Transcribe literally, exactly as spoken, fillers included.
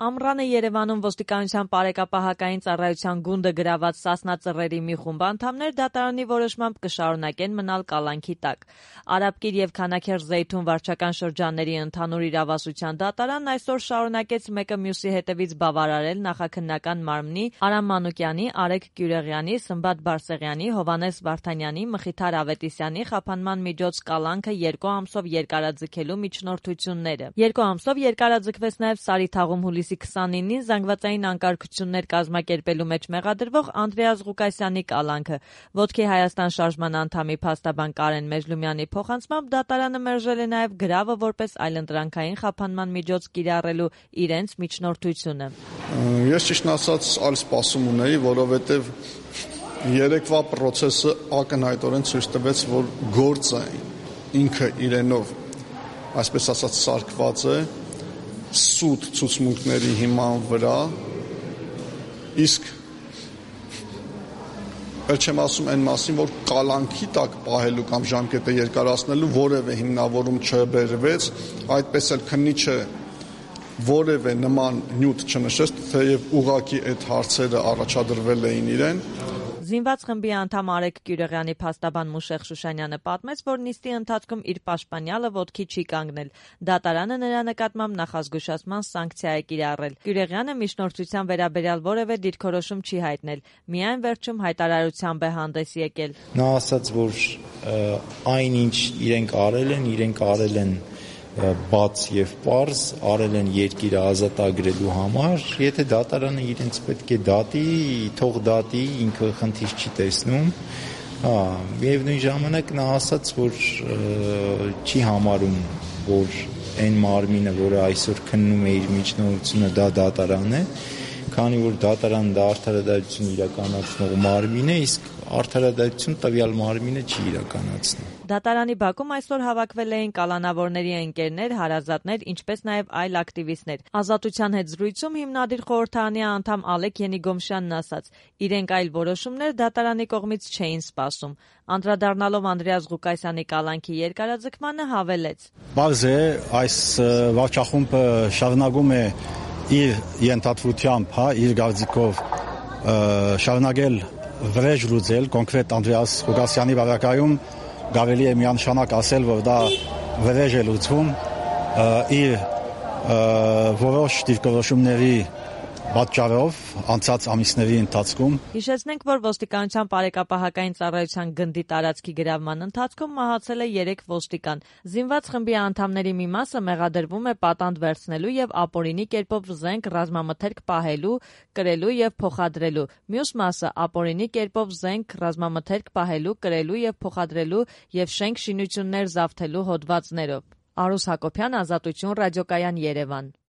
Ամռանը Երևանում ոստիկանության բարեկապահական ծառայության գունդը գրաված Սասնա ծռերի մի խումբ անդամներ դատարանի որոշմամբ կշարունակեն մնալ կալանքի տակ։ Արաբկիր եւ Քանաքեռ Զեյթուն վարչական շրջանների ընդհանուր իրավասության դատարանն այսօր շարունակեց մեկը մյուսի հետևից բավարարել նախաքննական մարմնի Արամ Մանուկյանի, Արեգ Գյուրեղյանի, Սմբատ Բարսեղյանի, Հովհաննես Վարդանյանի, Մխիթար Ավետիսյանի խափանման միջոց կալանքը երկու ամսով երկարաձգելու միջնորդությունները։ Երկու ամսով երկարաձգվեց նաեւ Սարիթաղում հուլիսի քսանինին զանգվածային անկարգություններ կազմակերպելու մեջ մեղադրվող Անդրեաս Ղուկասյանի կալանքը։ Ոտքի Հայաստան շարժման անդամի փաստաբան Կարեն Մեժլումյանի փոխանցմամբ դատարանը մերժել է նաև գրավը որպես այլընտրանքային խափանման միջոց կիրառելու իրենց միջնորդությունը։ Ես ճիշտն ասած այլ սպասում ունեի, որովհետև երեկվա process-ը ակնհայտորեն ցույց տվեց, որ գործը ինքը իրենով, այսպես ասած, սարքված է սուտ ցուցմունքների հիման վրա, իսկ էլ չեմ ասում այն մասին, որ կալանքի տակ պահելու կամ ժամկետը երկարացնելու որևէ հիմնավորում չբերվեց, այդպես էլ քննիչը որևէ նման նյութ չնշեց, թեև ուղղակի այդ հարցերը առաջադրվել էին իրեն։ Զինված խմբի անդամ Արեգ Գյուրեղյանի փաստաբան Մուշեղ Շուշանյանը պատմեց, որ նիստի ընթացքում իր պաշտպանյալը ոտքի չի կանգնել։ Դատարանը նրա նկատմամբ նախազգուշացման սանկցիա է կիրառել։ Գյուրեղյանը միջնորդության վերաբերյալ որևէ դիրքորոշում չի հայտնել, միայն վերջում հայտարարությամբ է հանդես եկել։ Նա ասաց, որ այն ինչ իրենք արել են, իրենք արել են բաց եւ պարզ, արել են երկիրը ազատագրելու համար, եթե դատարանը իրենց պետք է դատի, թող դատի, ինքը խնդիր չի տեսնում, հա, միևնույն ժամանակ նա ասաց, որ չի համարում, որ այն մարմինը, որը այսօր քննում է իր միջնորդությունը, դա դատարան է, քանի որ դատարանը դա արդարադատություն իրականացնող մարմին է, իսկ արդարադատություն տվյալ մարմինը չի իրականացնում։ Դատարանի բակում այսօր հավաքվել էին կալանավորների ընկերներ, հարազատներ, ինչպես նաև այլ ակտիվիստներ։ Ազատության հետ զրույցում հիմնադիր խորհրդարանի անդամ Ալեկ Ենիգոմշյանն ասաց, իրենք այլ որոշումներ դատարանի կողմից չէին սպասում։ Անդրադառնալով Անդրեաս Ղուկասյանի կալանքի երկարաձգմանը հավելեց. Բարձ է, այս վարչախումբը շարունակում է իր ենթադրությամբ, հա, իր գործիքով շարունակել վրեժ լուծել, կոնկրետ Անդրեաս Ղուկասյանի վարակայում կարելի է միանշանակ ասել, որ դա վրեժ է լուծվում իր որոշ դիրքորոշումների պատճառով անցած ամիսների ընթացքում։ Հիշեցնենք, որ ոստիկանության բարեկապահական ծառայության գնդի տարածքի գրավման ընթացքում մահացել է երեք ոստիկան։ Զինված խմբի անդամների մի մասը մեղադրվում է պատանդ վերցնելու եւ ապօրինի կերպով զենք ռազմամթերք պահելու, կրելու եւ փոխադրելու։ Մյուս մասը ապօրինի կերպով զենք ռազմամթերք պահելու, կրելու եւ փոխադրելու եւ շենք շինություններ զավթելու հոդվածներով։ Արուս Հակոբյան, Ազատություն, Ռադիոկայան, Երևան։